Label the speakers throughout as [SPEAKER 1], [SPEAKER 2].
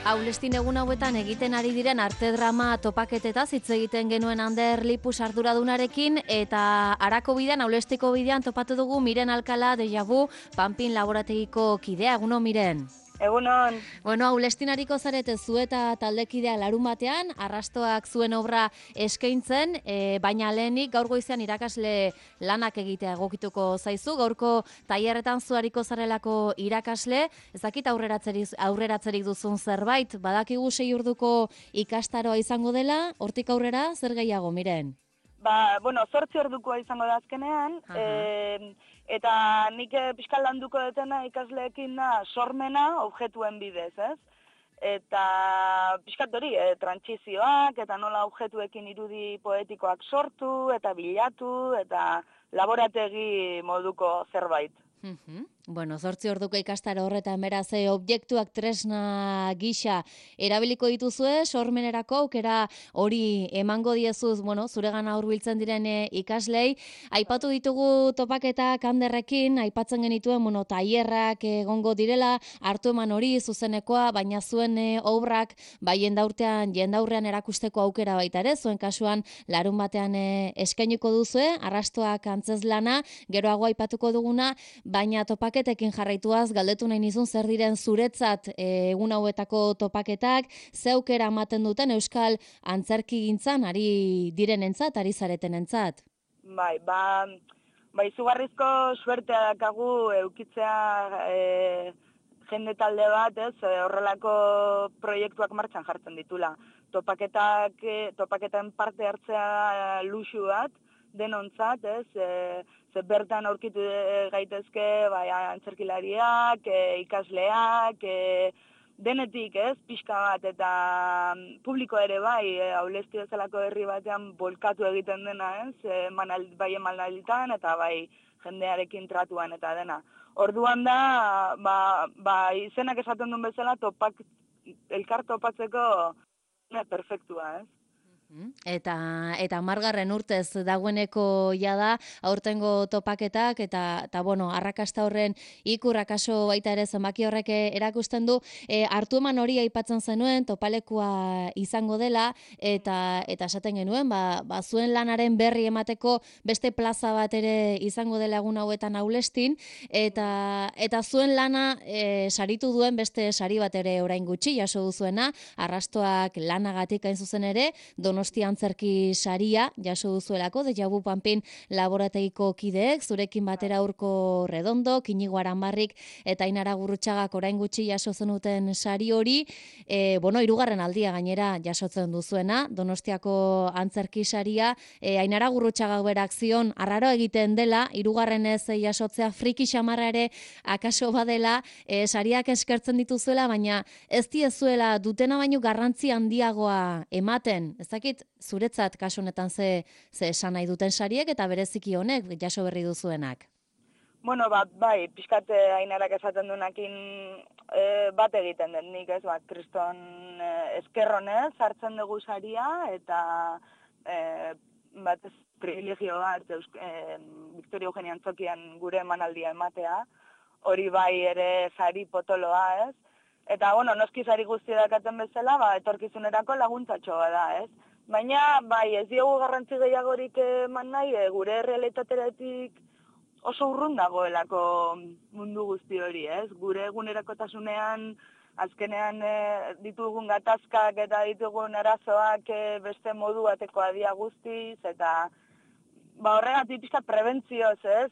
[SPEAKER 1] Aulestin egun hauetan egiten ari diren arte drama topaketetaz hitz egiten genuen Ander Lipus arduradunarekin eta Arako bidean, Aulestiko bidean topatu dugu Miren Alkala Deja Vu Panpin laborategiko kidea. Egunon, Miren.
[SPEAKER 2] Egunon.
[SPEAKER 1] Bueno, Aulestinariko zarete zu eta taldekidea larun batean, arrastoak zuen obra eskaintzen, baina lehenik gaur goizean irakasle lanak egitea egokituko zaizu, gaurko tailerretan zuariko zarelako irakasle, ezakit aurreratzerik duzun zerbait, badakigu 6 orduko ikastaroa izango dela, hortik aurrera zer gehiago, Miren?
[SPEAKER 2] 8 ordukoa izango da azkenean, eta nik pixka landuko detena ikasleekin da sormena objektuen bidez, ez? Eta pixkat hori, trantsizioak eta nola objektuekin irudi poetikoak sortu eta bilatu eta laborategi moduko zerbait.
[SPEAKER 1] Bueno, 8 orduko ikastaro horretan beraz objektuak tresna gisa erabiliko dituzue, sormenerako aukera hori emango diezuz, bueno, zuregana hurbiltzen diren ikaslei. Aipatu ditugu topaketak Anderrekin, aipatzen genituen, bueno, tailerrak egongo direla, hartu eman hori zuzenekoa, baina zuen obrak bai jendaurrean erakusteko aukera baita ere, zuen kasuan larun batean eskainiko duzue, arrastoak antzezlana, geroago aipatuko duguna, baina topaketekin jarraituaz galdetu nahi nizun zer diren zuretzat egun hauetako topaketak, ze aukera ematen duten euskal antzerkigintzan ari direnentzat, ari zaretenentzat.
[SPEAKER 2] Bai, izugarrizko suertea dakagu eukitzea jende talde bat, ez, horrelako proiektuak martxan jartzen ditula. Topaketen parte hartzea luxu bat, denontzat, ez, ze bertan aurkitu gaitezke bai, antzerkilariak, ikasleak, denetik, ez, pixka bat, eta publiko ere bai, Aulesti bezalako herri batean bolkatu egiten dena, ez, bai emanalditan eta bai jendearekin tratuan eta dena. Orduan da, izenak esaten duen bezala, elkar topatzeko perfektua, ez?
[SPEAKER 1] Eta 10. urtez dagoeneko jada aurtengo topaketak eta bueno, arrakasta horren ikur akaso baita ere zenbaki horrek erakusten du, hartu eman hori aipatzen zenuen topalekua izango dela eta esaten genuen, zuen lanaren berri emateko beste plaza bat ere izango dela egun hauetan Aulestin eta zuen lana saritu duen beste sari bat ere orain gutxi jaso duzuena, arrastoak lanagatik hain zuzen ere, Donostia antzerki saria jaso duzuelako, Deja Vu Panpin laborategiko kideek, zurekin batera Urko Redondo, Inigo Aranbarrik eta Ainara Gurrutxagak orain gutxi jaso zenuten sari hori, bueno, 3. aldia gainera jasotzen duzuena, Donostiako antzerki saria, Ainara Gurrutxagak berak zion, arraro egiten dela, 3. jasotzea friki xamarra ere akaso badela, sariak eskertzen dituzuela, baina ez diezuela dutena baino garrantzi handiagoa ematen, ez dakit zuretzat kasu honetan ze esan nahi duten sariek eta bereziki honek jaso berri duzuenak.
[SPEAKER 2] Bueno, bai, pixkat Ainarak esaten duenakin bat egiten den nik, ez, kriston eskerronez hartzen dugu saria eta bat privilegio bat Victoria Eugenia Antzokian gure emanaldia ematea, hori bai ere sari potoloa, ez? Eta, bueno, noski sari guzti dakaten bezala, etorkizunerako laguntzatxo da, ez? Baina, bai, ez diogu garrantzi gehiagorik eman nahi, gure realitateratik oso urrun dagoelako mundu guzti hori, ez? Gure egunerakotasunean, azkenean ditugun gatazkak eta ditugun arazoak beste modu batekoa dia guztiz, eta horregatik pixkat prebentzioz, ez?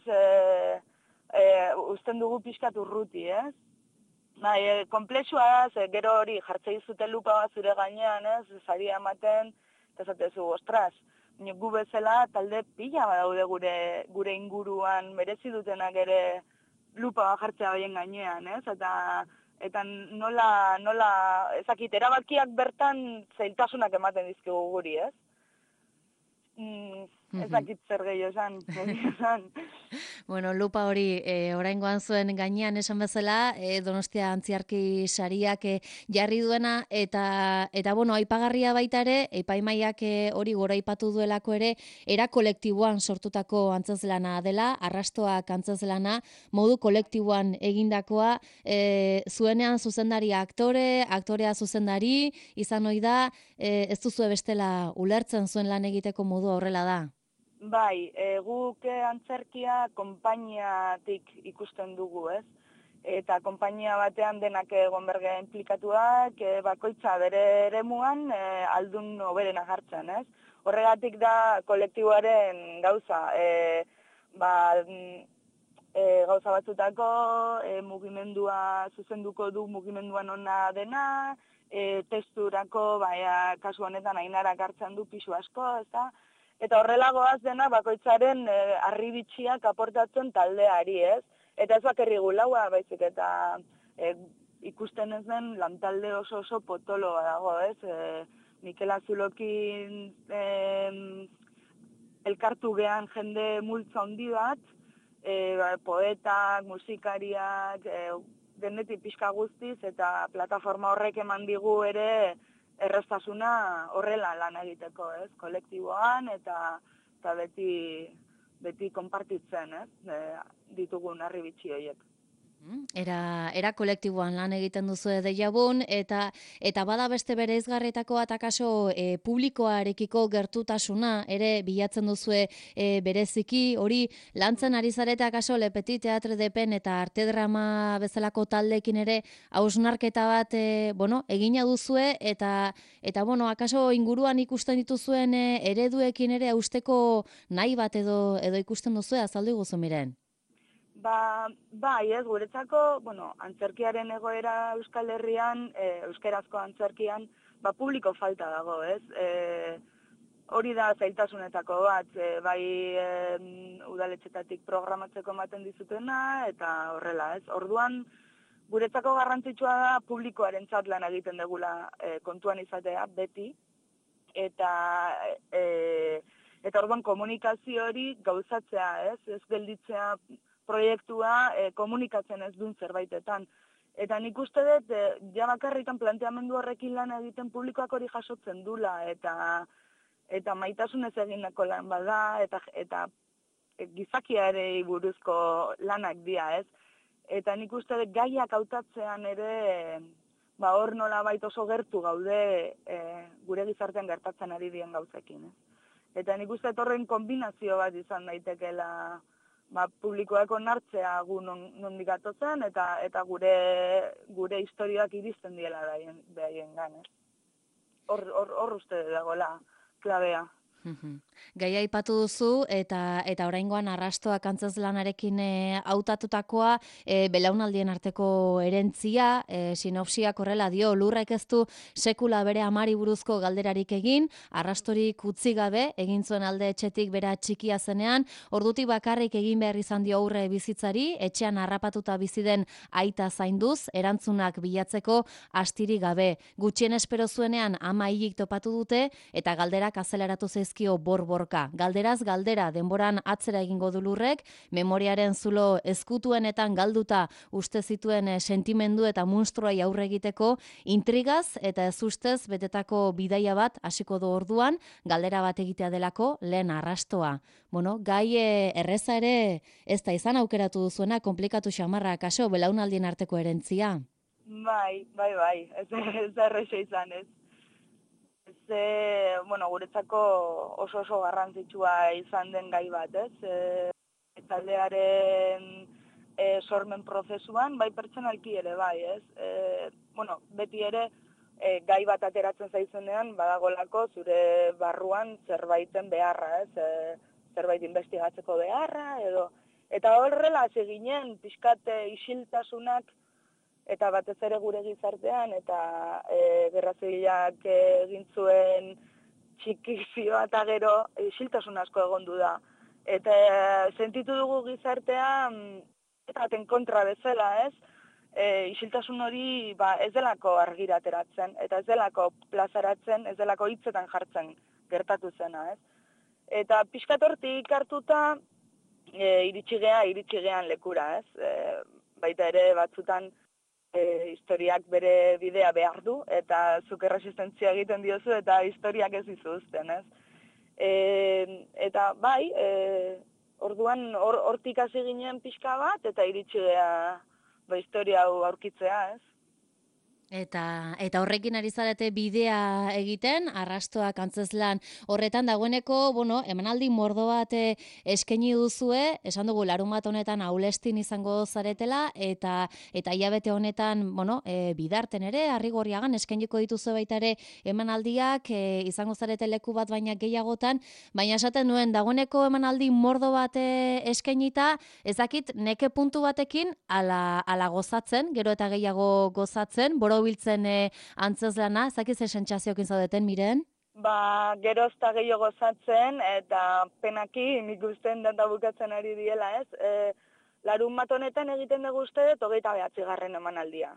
[SPEAKER 2] Usten dugu pixkat urruti, ez? Komplexua da, gero hori jartzei zute lupa bat zure gainean, ez, saria ematen, eta zatezu, ostras, gu bezala talde pila badaude gure inguruan merezi dutenak ere lupa bat jartzea baien gainean, ez, eta nola, ezakit, erabakiak bertan zailtasunak ematen dizkigu guri, ez? Ez dakit zer gehiago esan, esan.
[SPEAKER 1] Bueno, lupa hori oraingoan zuen gainean esan bezala, Donostia Antziarki sariak jarri duena eta bueno, aipagarria baita ere, epaimaiak hori goraipatu duelako ere, era kolektiboan sortutako antzezlana dela, arrastoak antzezlana, modu kolektiboan egindakoa, zuenean zuzendaria aktorea zuzendari, izan ohi da, ez duzu bestela ulertzen zuen lan egiteko modu horrela da.
[SPEAKER 2] Bai, guk antzerkia konpainiatik ikusten dugu, ez? Eta konpainia batean denak egon bergea implikatuak, bakoitza bere eremuan aldun hoberena jartzen, ez? Horregatik da kolektiboaren gauza. Gauza batzutako mugimendua zuzenduko du mugimenduan ona dena, testurako, kasu honetan Ainarak hartzen du pisu asko, ezta? Eta horrela goaz dena bakoitzaren harribitxiak aportatzen taldeari, ez? Eta ez bakarri gulaua, baizik eta ikusten ez den lantalde oso potoloa dago, ez? Mikel Azulokin elkartu gehan jende multza handi bat, poetak, musikariak, denetik pixka guztiz, eta plataforma horrek eman digu ere erraztasuna horrela lan egiteko, ez? Kolektiboan eta beti konpartitzen, ez? Ditugun harribitxi horiek.
[SPEAKER 1] Era kolektiboan lan egiten duzu Deiabun eta bada beste bereizgarrietako atakaso publikoarekiko gertutasuna ere bilatzen duzue bereziki hori lantzen ari zarete akaso Le Petit Teatre de Pen eta Arte Drama bezalako taldeekin ere hausnarketa bat egina duzue eta bueno akaso inguruan ikusten dituzuen ereduekin ere hausteko nahi bat edo ikusten duzue azaldu iguzu Miren.
[SPEAKER 2] Bai, ez, guretzako, antzerkiaren egoera Euskal Herrian, euskerazko antzerkian, publiko falta dago, ez? Hori da zailtasunetako bat, bai udaletxetatik programatzeko ematen dizutena, eta horrela, ez? Orduan, guretzako garrantzitsua da publikoarentzat lan egiten degula kontuan izatea, beti, eta orduan komunikazio hori gauzatzea, ez? Ez gelditzea proiektua komunikatzen ez duen zerbaitetan. Eta nik uste dut, ja bakarrikan planteamendu horrekin lan egiten publikoak hori jasotzen dula, eta maitasunez egindako lan bada, eta gizakiarei buruzko lanak dira, ez? Eta nik uste dut gaiak hautatzean ere, hor nolabait oso gertu gaude gure gizartean gertatzen ari dien gauzekin, ez? Eta nik uste dut horren kombinazio bat izan daitekeela publikoak onartzea gu nondik atotzen eta gure historioak iristen diela behaien gan, ez? Hor uste dagoela klabea.
[SPEAKER 1] Gaia aipatu duzu eta oraingoan arrastoak antzezlanarekin hautatutakoa belaunaldien arteko erentzia, sinopsiak horrela dio, lurrek ez du sekula bere amari buruzko galderarik egin, arrastorik utzi gabe, egin zuen alde etxetik bera txikia zenean, ordutik bakarrik egin behar izan dio aurre bizitzari, etxean harrapatuta bizi den aita zainduz, erantzunak bilatzeko astiri gabe. Gutxien espero zuenean ama hilik topatu dute eta galderak azeleratu zaizkio borborka. Galderaz galdera denboran atzera egingo du lurrek, memoriaren zulo ezkutuenetan galduta uste zituen sentimendu eta munstruai aurre egiteko intrigaz eta ez ustez betetako bidaia bat hasiko du orduan, galdera bat egitea delako lehen arrastoa. Gai erreza ere ez da izan aukeratu duzuena, komplikatu xamarra kaso belaunaldien arteko erentzia.
[SPEAKER 2] Bai, ez da erresa izan, ez. Guretzako oso garrantzitsua izan den gai bat, ez? Taldearen sormen prozesuan, bai pertsonalki ere, bai, ez? Beti ere, gai bat ateratzen zaizunean, badagolako zure barruan zerbaiten beharra, ez? Zerbait investigatzeko beharra, edo. Eta horrela, ginen pixkat isiltasunak, eta batez ere gure gizartean, eta Gerra Zibilak egin zuen txikizioa eta gero isiltasun asko egondu da. Eta sentitu dugu gizartea eta baten kontra bezala, ez? Isiltasun hori ez delako argira ateratzen, eta ez delako plazaratzen, ez delako hitzetan jartzen gertatu zena, ez? Eta pixkat hortik hartuta iritsi gean lekura, ez? Baita ere batzutan historiak bere bidea behar du, eta zuk erresistentzia egiten diozu, eta historiak ez dizu uzten, ez? Eta bai, orduan hortik hasi ginen pixka bat, eta iritsi gea historia hau aurkitzea, ez?
[SPEAKER 1] Eta horrekin ari zarete bidea egiten, arrastoak antzezlan horretan dagoeneko, bueno, emanaldi mordo bat eskaini duzue, esan dugu larunbat honetan Aulestin izango zaretela, eta hilabete honetan, bueno, bidarten ere, Arrigorriagan eskainiko dituzu baita ere emanaldiak, izango zarete leku bat baina gehiagotan, baina esaten nuen, dagoeneko emanaldi mordo bat eskainita, ezakit neke puntu batekin ala gozatzen, gero eta gehiago gozatzen, borobiltzen antzezlana, ezakiz sentsazioekin zaudeten, Miren?
[SPEAKER 2] Ba, gerozta gehiago gozatzen, eta penaki nik usten data bukatzen ari diela, ez? Larun bat honetan egiten dugu uste, 29. emanaldia.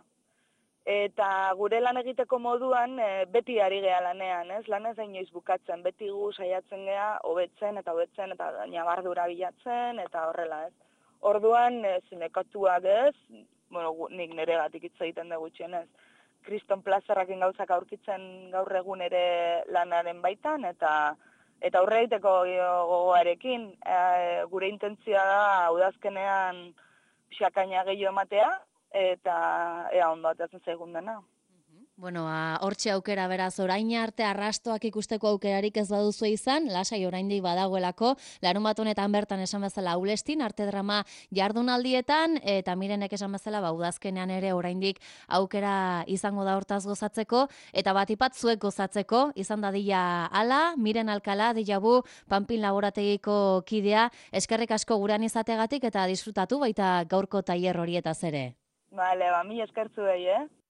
[SPEAKER 2] Eta gure lan egiteko moduan beti ari gea lanean, ez? Lan ez inoiz bukatzen, beti gu saiatzen gea hobetzen, eta nabardura bilatzen, eta horrela, ez? Orduan, zinekatuak ez, bueno, nik neregatik hitz egiten dugu gutxienez, kriston plazerrakin gauzak aurkitzen gaur egun ere lanaren baitan, eta aurre egiteko gogoarekin, gure intentzioa da udazkenean pixakaina gehiago ematea, eta ea ondo ateatzen zaigun dena.
[SPEAKER 1] Bueno, hortxe aukera beraz, orain arte arrastoak ikusteko aukerarik ez baduzu izan, lasai oraindik badagoelako, larunbat honetan bertan esan bezala Aulestin, arte drama jardunaldietan, eta Mirenek esan bezala, udazkenean ere oraindik aukera izango da hortaz gozatzeko, eta batipat zuek gozatzeko, izan dadila ala, Miren Alkala, Dijabu, Panpin laborategiko kidea, eskerrik asko gurean izategatik, eta disfrutatu baita gaurko tailer horietaz ere.
[SPEAKER 2] Bale, ba, mi eskertzu behi,